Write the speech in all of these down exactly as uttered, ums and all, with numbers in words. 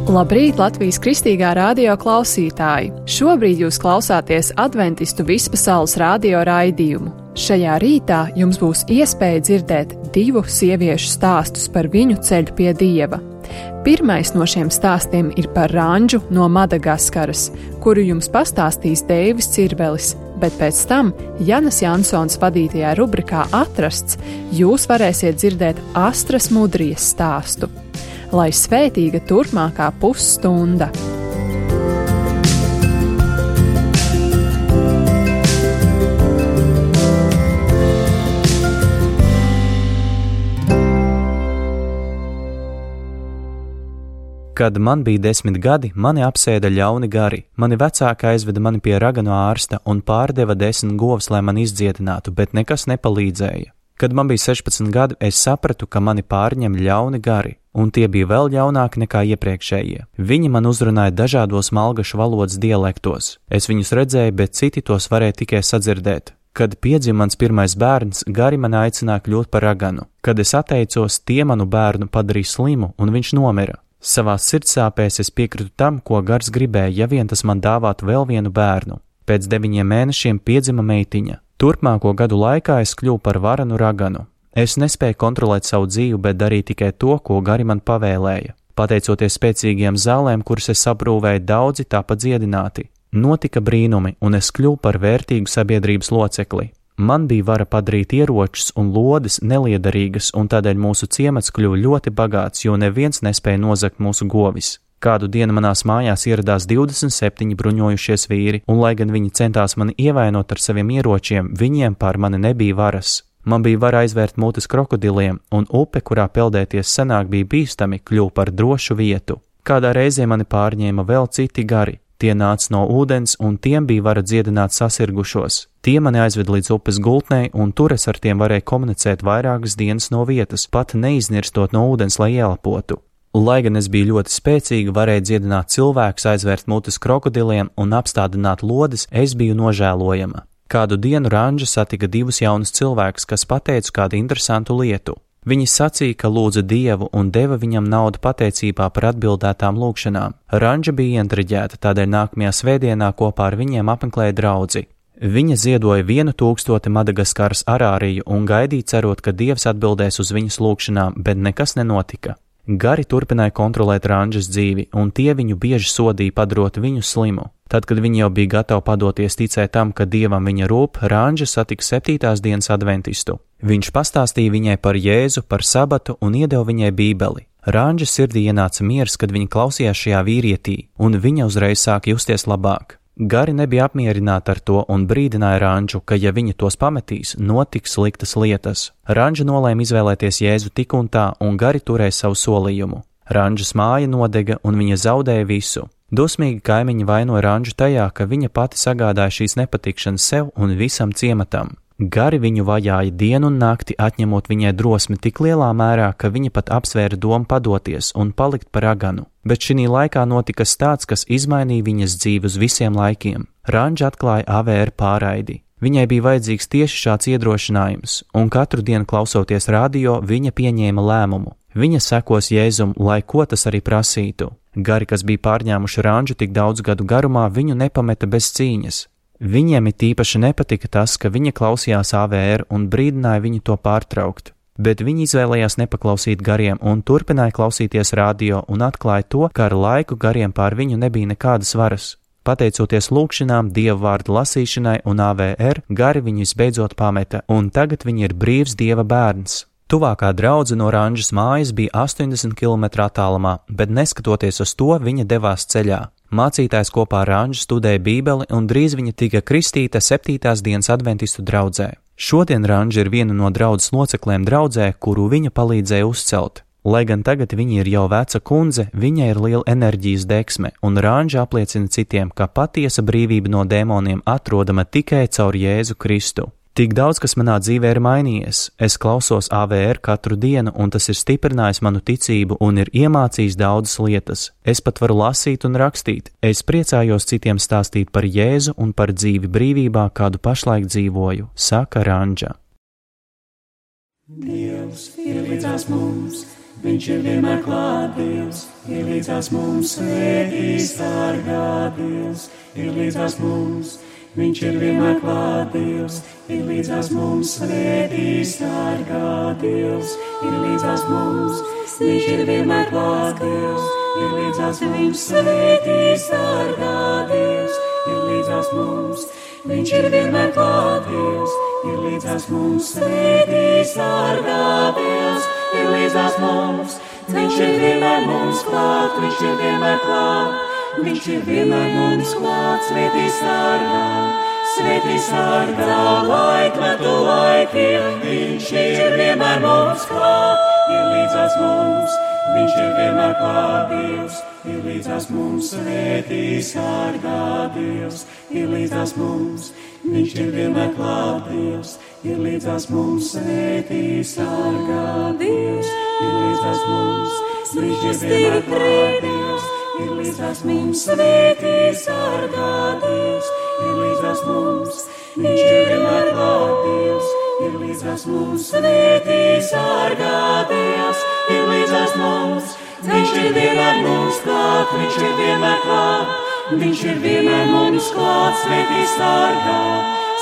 Labrīt, Latvijas Kristīgā radio klausītāji! Šobrīd jūs klausāties Adventistu vispasaules radio raidījumu. Šajā rītā jums būs iespēja dzirdēt divu sieviešu stāstus par viņu ceļu pie Dieva. Pirmais no šiem stāstiem ir par Ranžu no Madagaskaras, kuru jums pastāstīs Deivis Cirvelis, bet pēc tam Janas Jansons vadītajā rubrikā Atrasts jūs varēsiet dzirdēt Astras Mudrijas stāstu. Lai svētīga turpmākā pusstunda! Kad man bija desmit gadi, mani apsēda ļauni gari. Mani vecāki aizveda mani pie raganu ārsta un pārdeva desmit govs, lai mani izdziedinātu, bet nekas nepalīdzēja. Kad man bija sešpadsmit gadi, es sapratu, ka mani pārņem ļauni gari, un tie bija vēl ļaunāki nekā iepriekšējie. Viņi man uzrunāja dažādos malgašu valodas dialektos. Es viņus redzēju, bet citi tos varēja tikai sadzirdēt. Kad piedzima mans pirmais bērns, gari mani aicināja kļūt par raganu. Kad es atteicos, tie manu bērnu padarīja slimu, un viņš nomira. Savās sirdsāpēs es piekritu tam, ko gars gribēja, ja vien tas man dāvātu vēl vienu bērnu. Pēc deviņiem mēnešiem piedzima meitiņa. Turpmāko gadu laikā es kļuvu par varanu raganu. Es nespēju kontrolēt savu dzīvi, bet darīju tikai to, ko gari man pavēlēja. Pateicoties spēcīgiem zālēm, kuras es aprūvēju, daudzi tāpat dziedināti. Notika brīnumi, un es kļuvu par vērtīgu sabiedrības locekli. Man bija vara padarīt ieročus un lodes neliederīgas, un tādēļ mūsu ciemats kļuva ļoti bagāts, jo neviens nespēja nozagt mūsu govis. Kādu dienu manās mājās ieradās divdesmit septiņi bruņojušies vīri, un lai gan viņi centās mani ievainot ar saviem ieročiem, viņiem pār mani nebija varas. Man bija vara aizvērt mutes krokodiliem, un upe, kurā peldēties senāk bija bīstami, kļuva par drošu vietu. Kādā reizē mani pārņēma vēl citi gari. Tie nāca no ūdens, un tiem bija vara dziedināt sasirgušos. Tie mani aizved līdz upes gultnei, un tur es ar tiem varēju komunicēt vairākas dienas no vietas, pat neiznirstot no ūdens, lai ielpotu. Lai gan es biju ļoti spēcīga, varēju dziedināt cilvēkus, aizvērt mutes krokodiliem un apstādināt lodes, es biju nožēlojama. Kādu dienu Ranža satika divus jaunus cilvēkus, kas pateica kādu interesantu lietu. Viņi sacīja, ka lūdza Dievu un deva viņam naudu pateicībā par atbildētām lūgšanām. Ranža bija ientriģēta, tādēļ nākamajā svētdienā kopā ar viņiem apmeklēja draudzi. Viņa ziedoja vienu tūkstoti Madagaskaras arāriju un gaidīja cerot, ka Dievs atbildēs uz viņas lūgšanām, bet nekas nenotika. Gari turpināja kontrolēt Ranžas dzīvi, un tie viņu bieži sodīja padarot viņu slimu. Tad, kad viņa jau bija gatava padoties ticēt tam, ka Dievam viņa rūp, Ranža satika septītās dienas adventistu. Viņš pastāstīja viņai par Jēzu, par sabatu un iedeva viņai bībeli. Ranžas sirdī ienāca miers, kad viņa klausījās šajā vīrietī, un viņa uzreiz sāka justies labāk. Gari nebija apmierināti ar to un brīdināja Ranžu, ka ja viņa tos pametīs, notiks sliktas lietas. Ranža nolēma izvēlēties Jēzu tik un tā, un gari turēja savu solījumu. Ranžas māja nodega, un viņa zaudēja visu. Dusmīgi kaimiņi vainoja Ranžu tajā, ka viņa pati sagādāja šīs nepatikšanas sev un visam ciematam. Gari viņu vajāja dienu un nakti, atņemot viņai drosmi tik lielā mērā, ka viņa pat apsvēra domu padoties un palikt par raganu. Bet šī laikā notika tāds, kas izmainīja viņas dzīvi uz visiem laikiem. Ranža atklāja A V R pārraidi. Viņai bija vajadzīgs tieši šāds iedrošinājums, un katru dienu klausoties radio, viņa pieņēma lēmumu. Viņa sekos Jēzum, lai ko tas arī prasītu. Gari, kas bija pārņēmuši Ranžu tik daudz gadu garumā, viņu nepameta bez cīņas. Viņiem it īpaši nepatika tas, ka viņa klausījās A V R un brīdināja viņu to pārtraukt, bet viņi izvēlējās nepaklausīt gariem un turpināja klausīties radio un atklāja to, ka ar laiku gariem pār viņu nebija nekādas varas. Pateicoties lūgšanām, Dieva vārda lasīšanai un A V R, gari viņu visbeidzot pameta, un tagad viņi ir brīvs Dieva bērns. Tuvākā draudze no Ranžas mājas bija astoņdesmit kilometru attālumā, bet neskatoties uz to, viņa devās ceļā. Mācītājs kopā ar Ranžu studēja bībeli, un drīz viņa tika kristīta septītās dienas adventistu draudzē. Šodien Ranža ir viena no draudzes locekļiem draudzē, kuru viņa palīdzēja uzcelt. Lai gan tagad viņa ir jau veca kundze, viņai ir liela enerģijas deksme, un Ranža apliecina citiem, ka patiesa brīvība no dēmoniem atrodama tikai caur Jēzu Kristu. Tik daudz, kas manā dzīvē ir mainījies. Es klausos A V R katru dienu, un tas ir stiprinājis manu ticību un ir iemācījis daudzas lietas. Es pat varu lasīt un rakstīt. Es priecājos citiem stāstīt par Jēzu un par dzīvi brīvībā, kādu pašlaik dzīvoju, saka Ranža. Dievs ir līdzās mums, viņš ir vienmēr klāt Dievs, ir līdzās mums, svētī sargā Dievs, ir līdzās mums, viņš ir vienmēr klāt Dievs, ir līdzās mums, svētī sargā Dievs, ir līdzās mums, viņš ir vienmēr klāt Dievs, ir līdzās mums, svētī sargā Dievs, ir līdzās mums, viņš ir vienmēr klāt Dievs, ir līdzās mums, svētī sargā Dievs, ir līdzās mums, viņš ir vienmēr mums klāt, viņš ir vienmēr klāt, viņš ir vienmēr mums klāt, svētī sargā, svētī sargā, laikmetu laikiem, viņš ir vienmēr mums klāt, ir līdzās mums, viņš ir vienmēr klāt Dievs, ir līdzās mums, svētī sargā Dievs, ir līdzās mums, viņš ir vienmēr klāt Dievs, ir līdzās mums, svētī sargā Dievs, ir līdzās mums, viņš ir vienmēr klāt Dievs, ir līdzās mums, svētī sargā Dievs, ir līdzās mums, viņš ir vienmēr klāt Dievs, ir līdzās mums, svētī sargā Dievs, ir līdzās mums, viņš ir vienmēr mums klāt, viņš ir vienmēr klāt, viņš ir vienmēr mums klāt, svētī sargā,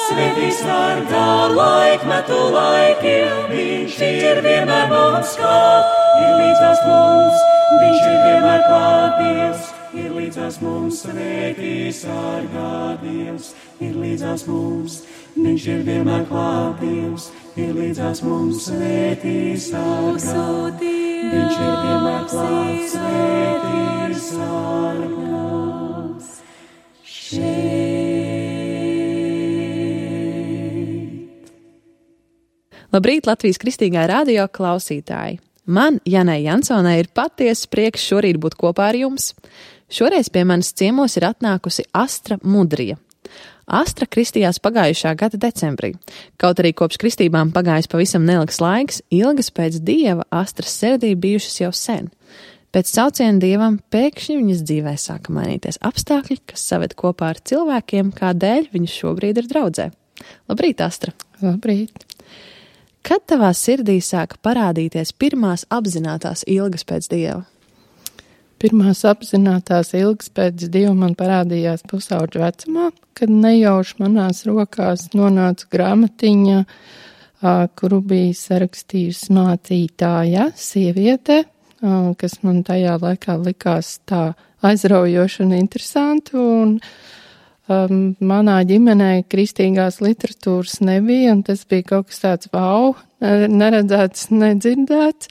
svētī sargā, laikmetu laikiem, viņš ir vienmēr mums klāt, ir līdzās mums, viņš ir vienmēr klāt Dievs, ir līdzās mums, svētī sargā Dievs, ir līdzās mums, viņš ir vienmēr klāt Dievs, ir līdzās mums, svētī sargā, viņš ir vienmēr klāt, svētī sargās šeit. Labrīt, Latvijas Kristīgā radio klausītāji! Man, Janai Jansonai, ir patiesa prieks šorīt būt kopā ar jums. Šoreiz pie manis ciemos ir atnākusi Astra Mudrija. Astra kristījās pagājušā gada decembrī. Kaut arī kopš kristībām pagājis pavisam neilgs laiks, ilgas pēc Dieva Astras sirdī bijušas jau sen. Pēc sauciena Dievam pēkšņi viņas dzīvē sāka mainīties apstākļi, kas saved kopā ar cilvēkiem, kādēļ viņas šobrīd ir draudzē. Labrīt, Astra! Labrīt! Kad tavā sirdī sāka parādīties pirmās apzinātās ilgas pēc Dieva? Pirmās apzinātās ilgas pēc Dieva man parādījās pusauģu vecumā, kad nejauši manās rokās nonāca grāmatiņa, kuru bija sarakstījusi mācītāja, sieviete, kas man tajā laikā likās tā aizraujoši un interesanti, un Um, manā ģimenē kristīgās literatūras nebija, un tas bija kaut kas tāds wow, neredzēts, nedzirdēts,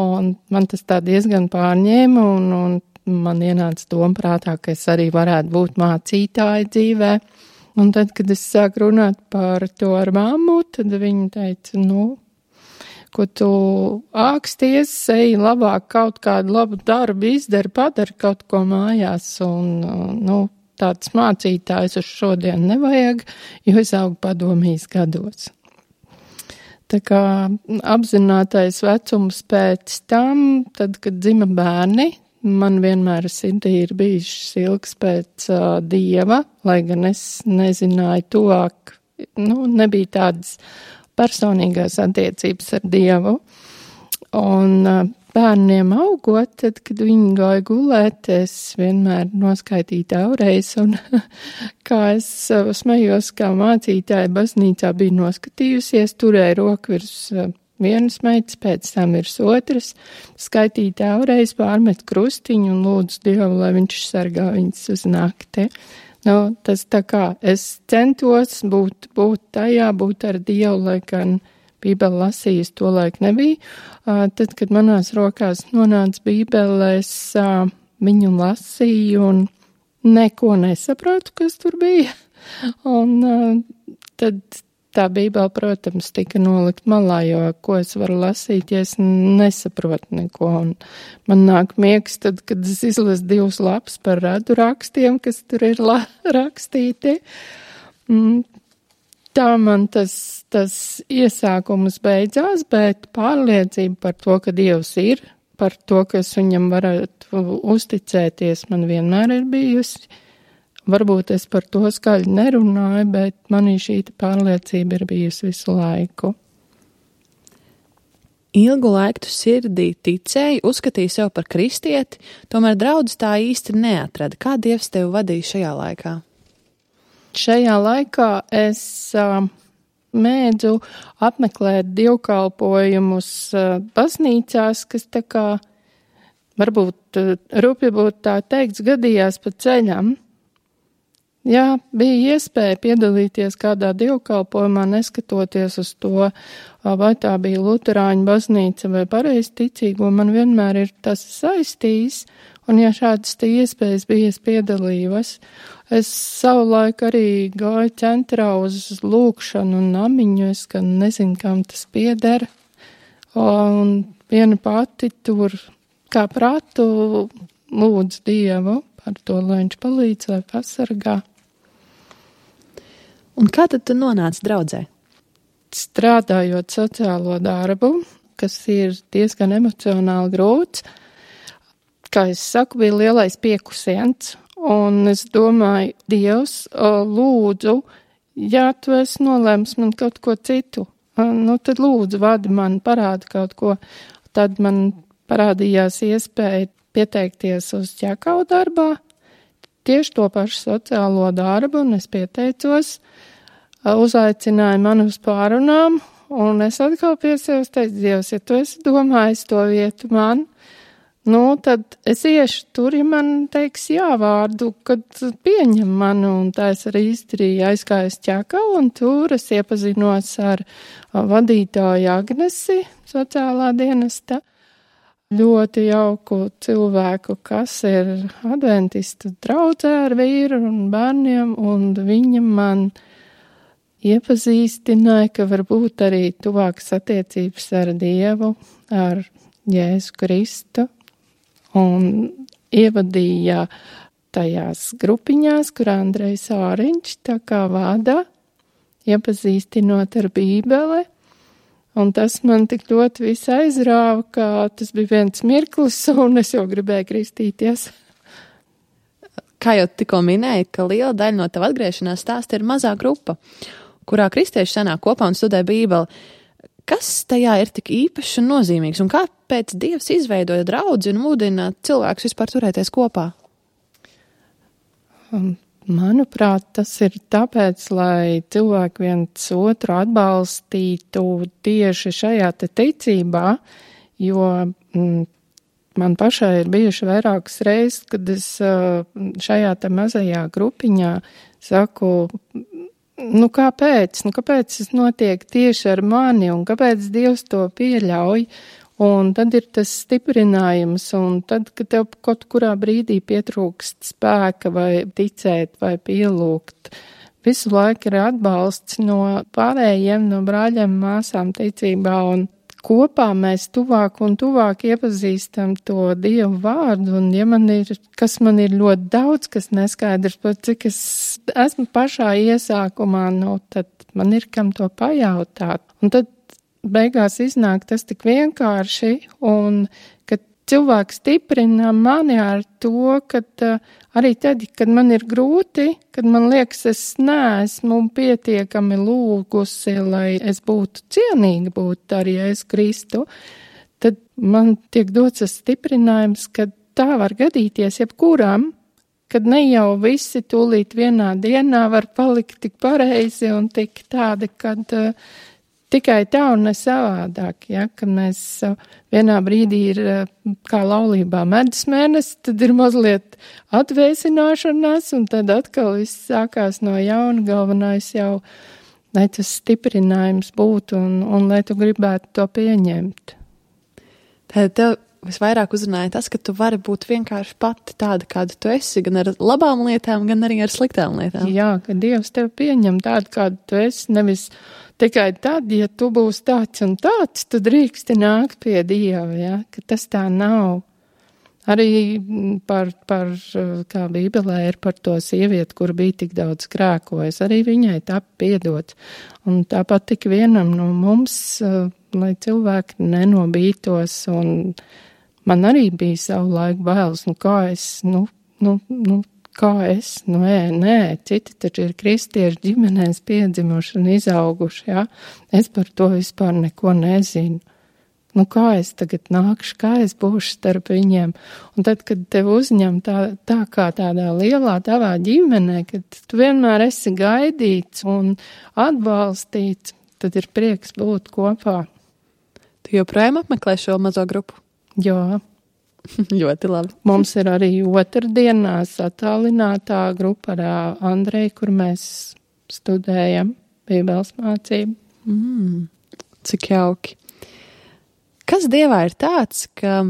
un man tas tā diezgan pārņēma, un, un man ienāca doma prātā, ka es arī varētu būt mācītāja dzīvē. Un tad, kad es sāku runāt par to ar mammu, tad viņa teica, nu, ko tu āksties, ej labāk kaut kādu labu darbu izdari, padari kaut ko mājās, un, nu, tāds mācītājs uz šodien nevajag, jo es augu padomīs gados. Tā kā apzinātais vecums pēc tam, tad, kad dzima bērni, man vienmēr sirdī ir bijušas ilgas pēc uh, Dieva, lai gan es nezināju tuvāk, nu, nebija tādas personīgās attiecības ar Dievu. Un uh, bērniem augot, tad, kad viņi gāja gulēt, es vienmēr noskaitīju taureiz, un kā es smējos, kā mācītāja baznīcā bija noskatījusies, turēja roku virs vienas meitas, pēc tam virs otras, skaitīju taureiz, pārmet krustiņu un lūdzu Dievu, lai viņš sargā viņas uz nakti. Nu, tas tā kā es centos būt, būt tajā, būt ar Dievu, lai gan Bībeli lasījis to laik nebija. Tad, kad manās rokās nonāca Bībele, es viņu lasīju un neko nesapratu, kas tur bija. Un tad tā Bībele, protams, tika nolikt malā, jo ko es varu lasīt, ja es nesaprotu neko. Un man nāk miegs tad, kad es izlasu divus lapus par radu rakstiem, kas tur ir la- rakstīti. Mm. Tā man tas, tas iesākums beidzās, bet pārliecība par to, ka Dievs ir, par to, ka es viņam varētu uzticēties, man vienmēr ir bijusi. Varbūt es par to skaļi nerunāju, bet manī šī pārliecība ir bijusi visu laiku. ilgu laiku tu sirdī ticēji, uzskatīji sev par kristieti, tomēr draudz tā īsti neatrada. Kā Dievs tevi vadīja šajā laikā? Šajā laikā es uh, mēdzu apmeklēt dievkalpojumus uh, baznīcās, kas tā kā, varbūt uh, rupji būtu tā teikts, gadījās pa ceļam. Jā, bija iespēja piedalīties kādā dievkalpojumā, neskatoties uz to, vai tā bija luterāņu baznīca vai pareizticīgo, man vienmēr ir tas saistījis, un ja šādas te iespējas bija, es piedalījos. Es savulaik arī gāju centrā uz lūkšanu un namiņu, es gan nezinu, kam tas pieder, un viena pati tur kā prātu lūdz Dievu par to, lai viņš palīdz vai pasargā. Un kā tad tu nonāci draudzē? Strādājot sociālo darbu, kas ir diezgan emocionāli grūts, kā es saku, bija lielais piekusiens, un es domāju, Dievs, lūdzu, ja tu esi nolēms man kaut ko citu, nu tad lūdzu vadi man, parādi kaut ko, tad man parādījās iespēja pieteikties uz ķekau darbā, tieši to pašu sociālo darbu, un es pieteicos, uzaicināja mani uz pārunām, un es atkal pie sevis teicu, Dievs, ja tu esi domājis to vietu man, nu, tad es iešu tur, ja man teiks jā vārdu, kad pieņem mani, un tā es arī izdarīju, aizgāju ķekau, un tur es iepazinos ar vadītāju Agnesi, sociālā dienesta, ļoti jauku cilvēku, kas ir adventistu draudzē ar vīru un bērniem, un viņa man iepazīstināja, ka varbūt arī tuvākas attiecības ar Dievu, ar Jēzu Kristu, un ievadīja tajās grupiņās, kur Andrejs Āriņš tā kā vada, iepazīstinot ar Bībeli, un tas man tik ļoti visu aizrāva, ka tas bija viens mirklis, un es jau gribēju kristīties. Kā jau tikko minēji, ka liela daļa no tava atgriešanās stāsta ir mazā grupa, kurā kristieši sanāk kopā un studē Bībeli. Kas tajā ir tik īpašs un nozīmīgs, un kāpēc Dievs izveidoja draudzi un mudina cilvēkus vispār turēties kopā? Manuprāt, tas ir tāpēc, lai cilvēki viens otru atbalstītu tieši šajā te ticībā, jo mm, man pašai ir bijuši vairākas reizes, kad es šajā te mazajā grupiņā saku, nu kāpēc, nu kāpēc tas notiek tieši ar mani un kāpēc Dievs to pieļauj, un tad ir tas stiprinājums, un tad, kad tev kaut kurā brīdī pietrūkst spēka vai ticēt vai pielūgt, visu laiku ir atbalsts no pārējiem, no brāļiem, māsām ticībā, un kopā mēs tuvāk un tuvāk iepazīstam to Dievu vārdu, un ja man ir, kas man ir ļoti daudz, kas neskaidrs, pat cik es esmu pašā iesākumā, nu, tad man ir kam to pajautāt. Un tad beigās iznāk tas tik vienkārši, un kad cilvēks stiprina mani ar to, kad uh, arī tad, kad man ir grūti, kad man liekas, es neesmu pietiekami lūgusi, lai es būtu cienīga būt ar Jēzu Kristu, tad man tiek dots tas stiprinājums, ka tā var gadīties jebkuram, kad ne jau visi tūlīt vienā dienā var palikt tik pareizi un tik tādi, kad uh, tikai tā un ne savādāk, ja, kad mēs uh, vienā brīdī ir uh, kā laulībā medus mēnesis, tad ir mazliet atvēsināšanās, un tad atkal viss sākās no jauna, galvenais jau, lai tas stiprinājums būtu un, un lai tu gribētu to pieņemt. Tad tev visvairāk uzrunāja tas, ka tu vari būt vienkārši pati tāda, kāda tu esi, gan ar labām lietām, gan arī ar sliktām lietām. Jā, ka Dievs tev pieņem tādu, kādu tu esi, nevis tikai tad, ja tu būsi tāds un tāds, tu drīksti nākt pie Dieva, ja, ka tas tā nav. Arī par, par, kā Bībelē ir par to sievieti, kur bija tik daudz grēkojas, arī viņai tā piedots. Un tāpat tik vienam no mums, lai cilvēki nenobītos, un man arī bija savu laiku bailes, nu kā es, nu, nu, nu, kā es, nu, nē, nē, citi taču ir kristieši ģimenēs piedzimuši un izauguši, jā, es par to vispār neko nezinu. Nu, kā es tagad nākšu, kā es būšu starp viņiem. Un tad, kad tev uzņem tā, tā kā tādā lielā tavā ģimenē, kad tu vienmēr esi gaidīts un atbalstīts, tad ir prieks būt kopā. Tu joprojām apmeklē šo mazo grupu? Jā. Ļoti labi. Mums ir arī otrdienās attālinātā grupa ar Andreju, kur mēs studējam Bībeles mācību. Mm, cik jauki. Kas Dievā ir tāds, ka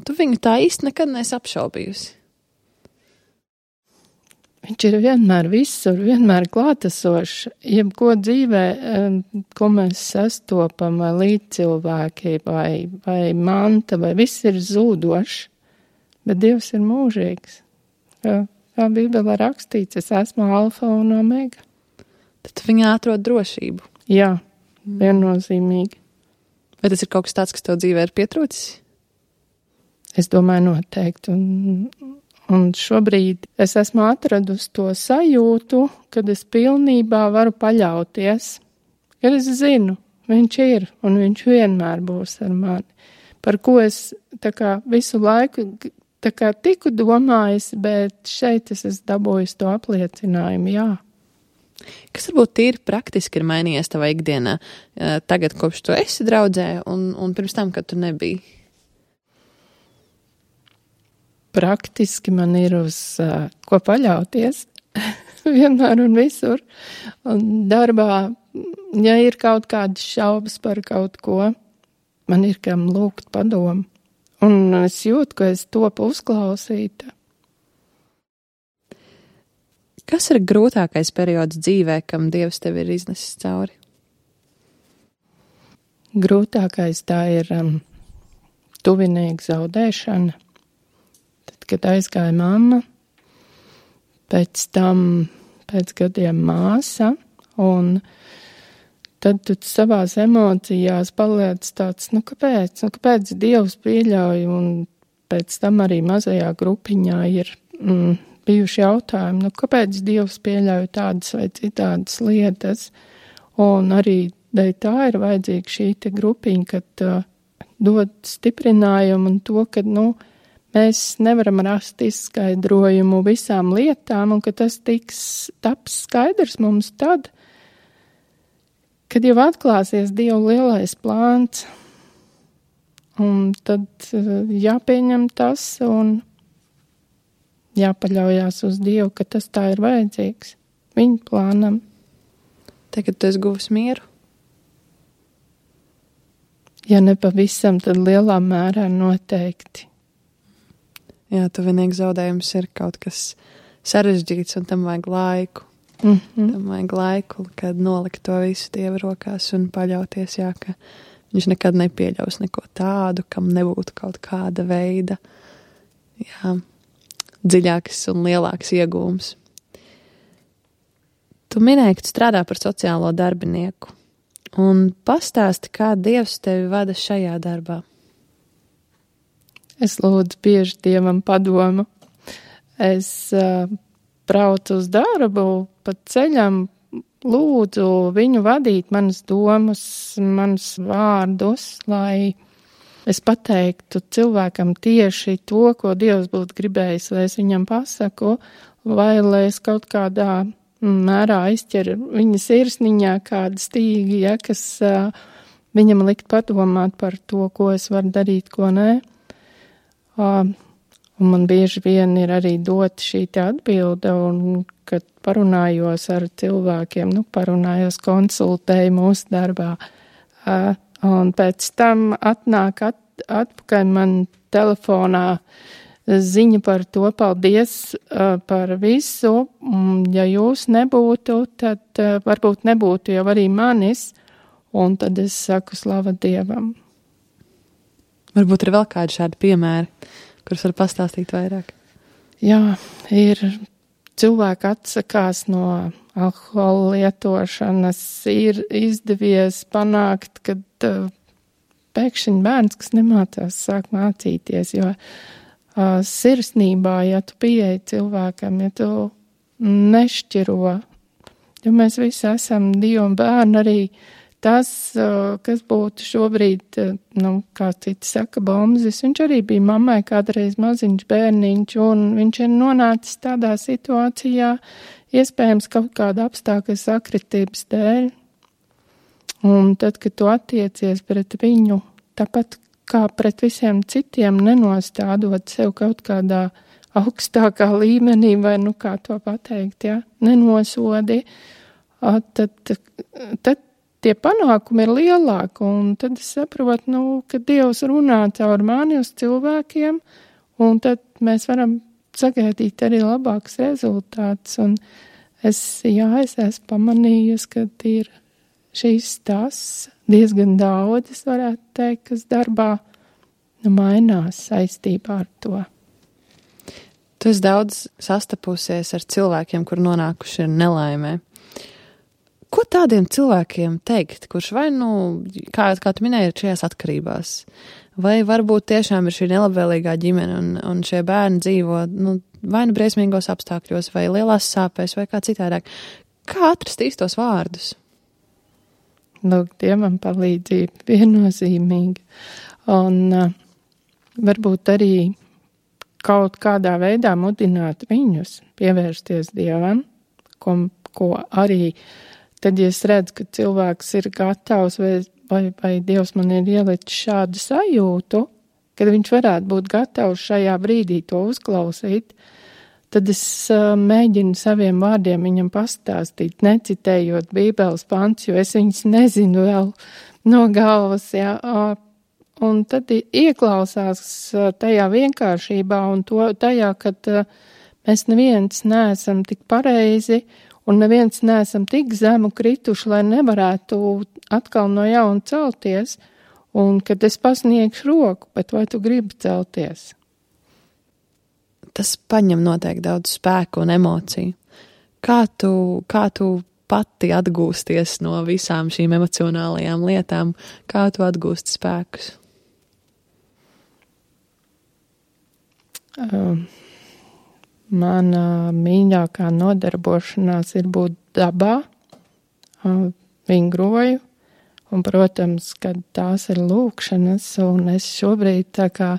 tu viņu tā īsti nekad neesi apšaubījusi? Viņš ir vienmēr visur, vienmēr klātesošs. Jebko dzīvē, ko mēs sastopam, vai līdzcilvēki, vai, vai manta, vai viss ir zūdošs. Bet Dievs ir mūžīgs. Kā, kā Bībelē rakstīts, es esmu alfa un omega. Tad viņā atrod drošību. Jā, viennozīmīgi. Vai tas ir kaut kas tāds, kas tev dzīvē ir pietrūcis? Es domāju noteikti. Un, un šobrīd es esmu atradusi to sajūtu, kad es pilnībā varu paļauties. Kad es zinu, viņš ir un viņš vienmēr būs ar mani. Par ko es tā kā visu laiku tā kā tiku domājis, bet šeit es esmu dabūjis to apliecinājumu, jā. Kas varbūt tīri praktiski ir mainījies tavā ikdienā, tagad, kopš tu esi draudzē, un, un pirms tam, kad tu nebija? Praktiski man ir uz uh, ko paļauties, vienmēr un visur. Un darbā, ja ir kaut kādas šaubas par kaut ko, man ir kam lūgt padomu. Un es jūtu, ka es topu uzklausīta. Kas ir grūtākais periods dzīvē, kam Dievs tevi ir iznesis cauri? Grūtākais tā ir um, tuvinieku zaudēšana. Tad, kad aizgāja mamma, pēc tam pēc gadiem māsa, un tad tu savās emocijās paliec tāds, nu kāpēc, nu kāpēc Dievs pieļauj, un pēc tam arī mazajā grupiņā ir mm, bijuši jautājumi, nu kāpēc Dievs pieļauj tādas vai citādas lietas, un arī dēļ tā ir vajadzīga šī te grupiņa, kad uh, dod stiprinājumu un to, ka, nu, mēs nevaram rast izskaidrojumu visām lietām, un ka tas tiks taps skaidrs mums tad, kad jau atklāsies Dieva lielais plāns, un tad uh, jāpieņem tas un jāpaļaujās uz Dievu, ka tas tā ir vajadzīgs viņa plānam. Tagad tu esi guvis mieru? Ja ne pavisam, tad lielā mērā noteikti. Jā, tuvinieku zaudējums ir kaut kas sarežģīts, un tam vajag laiku. Mm-hmm. Tam vajag laiku, kad nolikt to visu Dieva rokās un paļauties, jā, ka viņš nekad nepieļaus neko tādu, kam nebūtu kaut kāda veida, jā, dziļāks un lielāks iegūms. Tu minēji, ka tu strādā par sociālo darbinieku, un pastāsti, kā Dievs tevi vada šajā darbā. Es lūdzu bieži Dievam padomu. Es uh, braucu uz darbu, pa ceļam lūdzu viņu vadīt manas domas, manas vārdus, lai es pateiktu cilvēkam tieši to, ko Dievs būtu gribējis, lai es viņam pasaku, vai lai es kaut kādā mērā aizķeru viņa sirsniņā kādu stīgi, ja, kas uh, viņam likt padomāt par to, ko es varu darīt, ko nē. Uh, un man bieži vien ir arī dot šī te atbilde, un kad parunājos ar cilvēkiem, nu, parunājos, konsultēju mūsu darbā, uh, un pēc tam atnāk at, atpakaļ man telefonā ziņa par to, paldies uh, par visu, un ja jūs nebūtu, tad uh, varbūt nebūtu jau arī manis, un tad es saku slava Dievam. Varbūt ir vēl kādi šādi piemēri, kurus var pastāstīt vairāk. Jā, ir cilvēki atsakās no alkohola lietošanas, ir izdevies panākt, kad uh, pēkšņi bērns, kas nemācās, sāk mācīties, jo uh, sirsnībā, ja tu pieeji cilvēkam, ja tu nešķiro, jo mēs visi esam Dieva bērni, arī tas, kas būtu šobrīd, nu, kā citi saka, bombzis, viņš arī bija mammai kādreiz maziņš bērniņš, un viņš ir nonācis tādā situācijā, iespējams kaut kāda apstākļa sakritības dēļ. Un tad, kad tu attiecies pret viņu, tāpat kā pret visiem citiem, nenostādot sev kaut kādā augstākā līmenī, vai nu kā to pateikt, ja, nenosodi, tad, tad tie panākumi ir lielāki, un tad es saprotu, nu, ka Dievs runā caur mani uz cilvēkiem, un tad mēs varam sagaidīt arī labāks rezultāts, un es, jā, es esmu pamanījusi, ka ir šīs tas diezgan daudz, es varētu teikt, kas darbā nu, mainās saistībā ar to. Tu esi daudz sastapusies ar cilvēkiem, kur nonākuši ir nelaimē. Ko tādiem cilvēkiem teikt, kurš vai, nu, kā, kā tu minēji, ir šajās atkarībās? Vai varbūt tiešām ir šī nelabvēlīgā ģimene un, un šie bērni dzīvo, nu, vai nu briesmīgos apstākļos, vai lielās sāpēs, vai kā citādāk? Kā atrast īstos vārdus? Lūk, Dievam palīdzība viennozīmīgi. Un uh, varbūt arī kaut kādā veidā mudināt viņus pievērsties Dievam, ko, ko arī tad, ja es redzu, ka cilvēks ir gatavs vai, vai, vai Dievs man ir ielicis šādu sajūtu, kad viņš varētu būt gatavs šajā brīdī to uzklausīt, tad es uh, mēģinu saviem vārdiem viņam pastāstīt, necitējot Bībeles pants, jo es viņus nezinu vēl no galvas, jā, uh, un tad ieklausās uh, tajā vienkāršībā un to, tajā, kad uh, mēs neviens neesam tik pareizi un neviens neesam tik zemu krituši, lai nevarētu atkal no jauna celties, un kad es pasniegšu roku, bet vai tu gribi celties? Tas paņem noteikti daudz spēku un emociju. Kā tu, kā tu pati atgūsties no visām šīm emocionālajām lietām? Kā tu atgūsti spēkus? Uh, mana mīļākā nodarbošanās ir būt dabā, uh, vingroju, un, protams, kad tās ir lūkšanas, un es šobrīd tā kā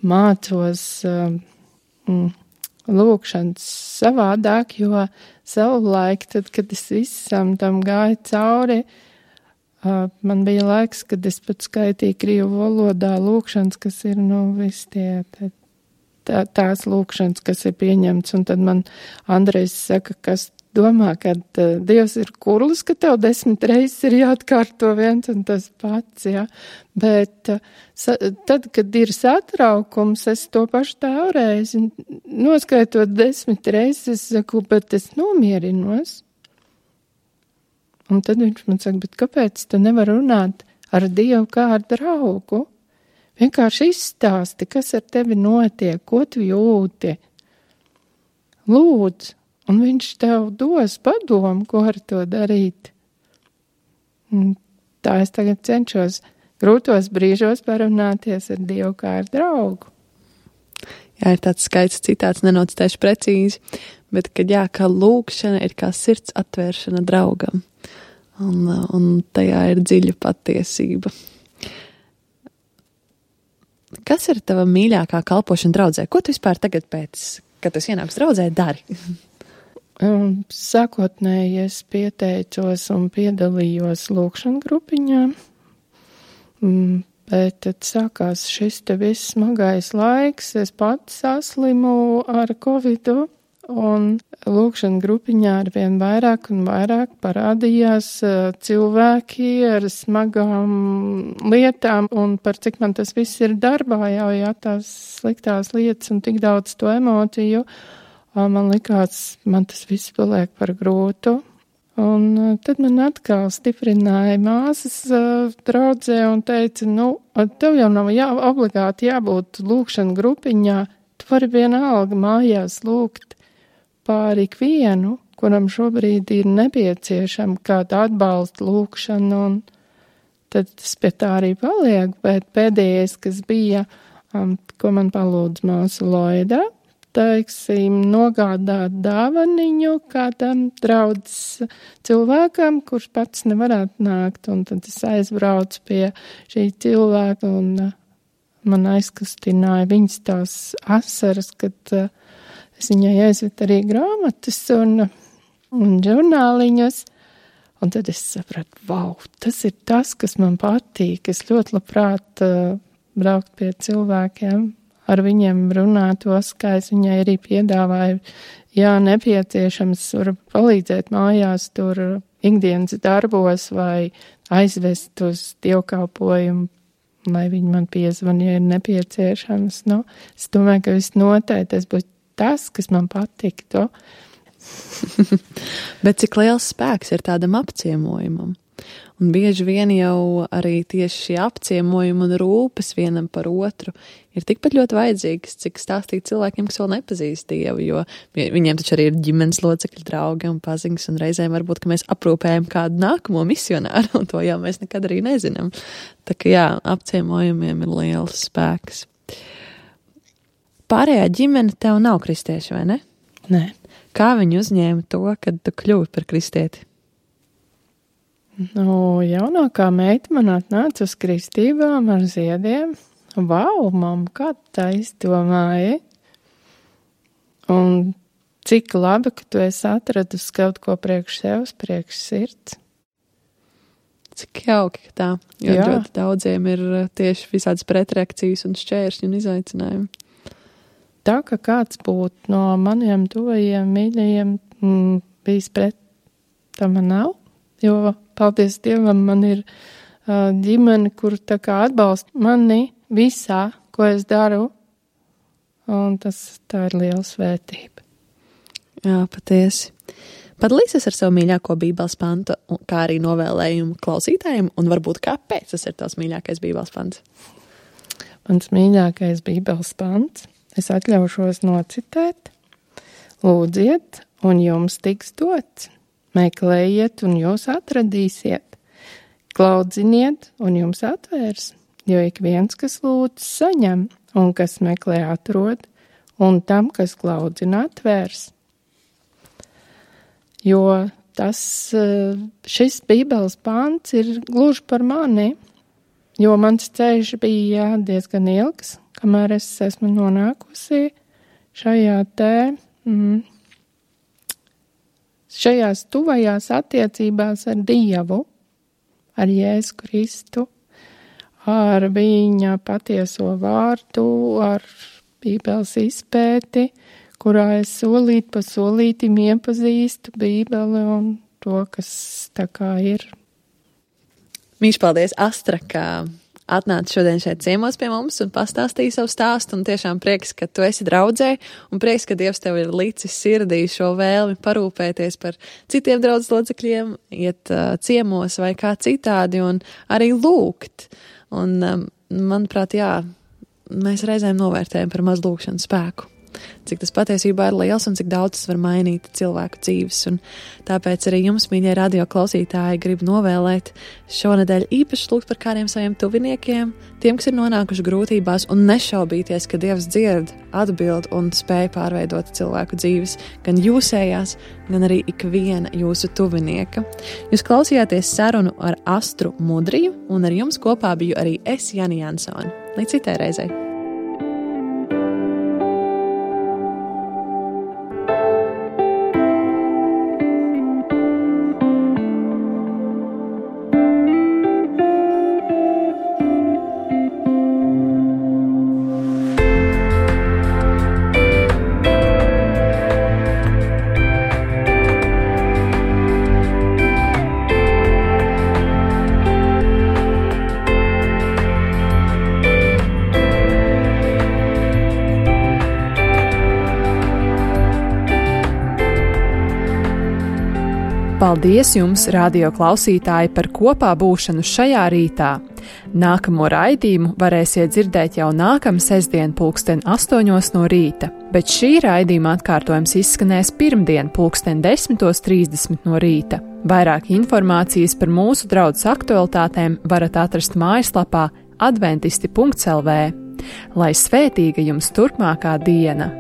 mācos uh, Mm, lūkšanas savādāk, jo savulaik, tad, kad es visam tam gāju cauri, uh, man bija laiks, kad es pat skaitīju krievu valodā lūkšanas, kas ir, nu, viss tie, tā, tā, tās lūkšanas, kas ir pieņemts, un tad man Andrejs saka, kas domā, kad uh, Dievs ir kurlis, ka tev desmit reizes ir jāatkārto viens un tas pats, jā. Bet uh, sa, tad, kad ir satraukums, es to pašu tēvreizi noskaitot desmit reizes, es saku, bet es nomierinos. Un tad viņš man saka, bet kāpēc tu nevar runāt ar Dievu kā ar draugu? Vienkārši izstāsti, kas ar tevi notiek, ko tu jūti. Lūdzu. Un viņš tev dos padomu, ko ar to darīt. Un tā es tagad cenšos grūtos brīžos parunāties ar Dievu kā ar draugu. Jā, ir tāds skaists citāts, nenocitēšu precīzi, bet, kad jā, kā lūkšana ir kā sirds atvēršana draugam. Un, un tajā ir dziļa patiesība. Kas ir tava mīļākā kalpošana draudzē? Ko tu vispār tagad pēc, kad tu ienāks draudzē, dari? Um, sākotnēji es pieteicos un piedalījos lūkšana grupiņā, um, bet tad sākās šis te viss smagais laiks, es pats saslimu ar covidu, un lūkšana grupiņā arvien vairāk un vairāk parādījās uh, cilvēki ar smagām lietām, un par cik man tas viss ir darbā jau, jā, tās sliktās lietas un tik daudz to emociju, man likās, man tas viss paliek par grūtu, un tad man atkal stiprināja māsas uh, draudzē un teica, nu, tev jau nav jā, obligāti jābūt lūkšana grupiņā, tu vari vienalga mājās lūgt pār ikvienu, kuram šobrīd ir nepieciešama kāda atbalsta lūkšana, un tad tas pie tā arī paliek, bet pēdējais, kas bija, um, ko man palūdz māsa Loida, teiksim, nogādāt dāvaniņu kādam draudzes cilvēkam, kurš pats nevarētu nākt, un tad es aizbraucu pie šī cilvēka, un uh, man aizkustināja viņas tās asaras, kad uh, es viņai aizvedu arī grāmatas un, un žurnāliņus, un tad es sapratu, vau, tas ir tas, kas man patīk. Es ļoti labprāt uh, braukt pie cilvēkiem, ar viņiem runāt tos, kā es viņai arī piedāvāju, jā, nepieciešams, var palīdzēt mājās tur ikdienas darbos vai aizvest uz dievkalpojumu, lai viņi man piezvan, ja ir nepieciešams. Nu, es domāju, ka viss noteikti tas būs tas, kas man patiktu. Bet cik liels spēks ir tādam apciemojumam? Un bieži vien jau arī tieši šie apciemojumi un rūpes vienam par otru ir tikpat ļoti vajadzīgas, cik stāstīt cilvēkiem, kas vēl nepazīst Dievu, jo viņiem taču arī ir ģimenes locekļi, draugi un paziņas, un reizēm varbūt, ka mēs aprūpējam kādu nākamo misionāru, un to jau mēs nekad arī nezinām. Tā ka jā, apciemojumiem ir liels spēks. Pārējā ģimene tev nav kristieši, vai ne? Nē. Kā viņi uzņēma to, kad tu kļuvi par kristieti? Nu, jaunākā meita man atnāca uz kristībām ar ziediem. Vau, mamma, kā tā izdomāja? Un cik labi, ka tu esi atradusi kaut ko priekš sevis, priekš sirds. Cik jauki, ka tā, jo Jā. ļoti daudziem ir tieši visādas pretreakcijas un šķēršļi un izaicinājumi. Tā, ka kāds būtu no maniem tuvajiem mīļajiem mm, bijis pret, tā man nav. Jo, paldies Dievam, man ir uh, ģimene, kur tā kā atbalsta mani visā, ko es daru, un tas tā ir liela svētība. Jā, patiesi. Padalīsies ar savu mīļāko bībeles pantu, kā arī novēlējumu klausītājiem, un varbūt kāpēc tas ir tavs mīļākais bībeles pants? Mans mīļākais bībeles pants, es atļaušos nocitēt: lūdziet, un jums tiks dots. Meklējiet, un jūs atradīsiet. Klaudziniet, un jums atvērs. Jo ik viens, kas lūdz, saņem, un kas meklē, atrod, un tam, kas klaudzina, atvērs. Jo tas, šis bībeles pants ir gluži par mani, jo mans ceļš bija jā, diezgan ilgs, kamēr es esmu nonākusi šajā te... Mm, šajās tuvajās attiecībās ar Dievu, ar Jēzu Kristu, ar viņa patieso vārdu, ar Bībeles izpēti, kurā es solīt pa solītim iepazīstu Bībeli un to, kas tā kā ir. Mīļš, paldies, Astra, ka atnāca šodien šeit ciemos pie mums un pastāstīja savu stāstu, un tiešām prieks, ka tu esi draudzē, un prieks, ka Dievs tev ir licis sirdī šo vēlmi parūpēties par citiem draudzes locekļiem, iet uh, ciemos vai kā citādi, un arī lūgt. Un, um, manuprāt, jā, mēs reizēm novērtējam par maz lūgšanu spēku. Cik tas patiesībā ir liels un cik daudz tas var mainīt cilvēku dzīves. Un tāpēc arī jums, mīļie radio klausītāji, gribu novēlēt šonedēļ īpaši lūgt par kādiem saviem tuviniekiem, tiem, kas ir nonākuši grūtībās, un nešaubīties, ka Dievs dzird, atbild un spēj pārveidot cilvēku dzīves, gan jūsējās, gan arī ikviena jūsu tuvinieka. Jūs klausījāties sarunu ar Astru Mudriju, un ar jums kopā biju arī es, Jani Jansone. Līdz citai reizei! Paldies jums, radio klausītāji, par kopā būšanu šajā rītā. Nākamo raidījumu varēsiet dzirdēt jau nākamā sestdien pulksten astoņos no rīta, bet šī raidījuma atkārtojums izskanēs pirmdien pulksten desmitos trīsdesmit no rīta. Vairāk informācijas par mūsu draudzes aktualitātēm varat atrast mājaslapā adventisti punkts el vē. Lai svētīga jums turpmākā diena!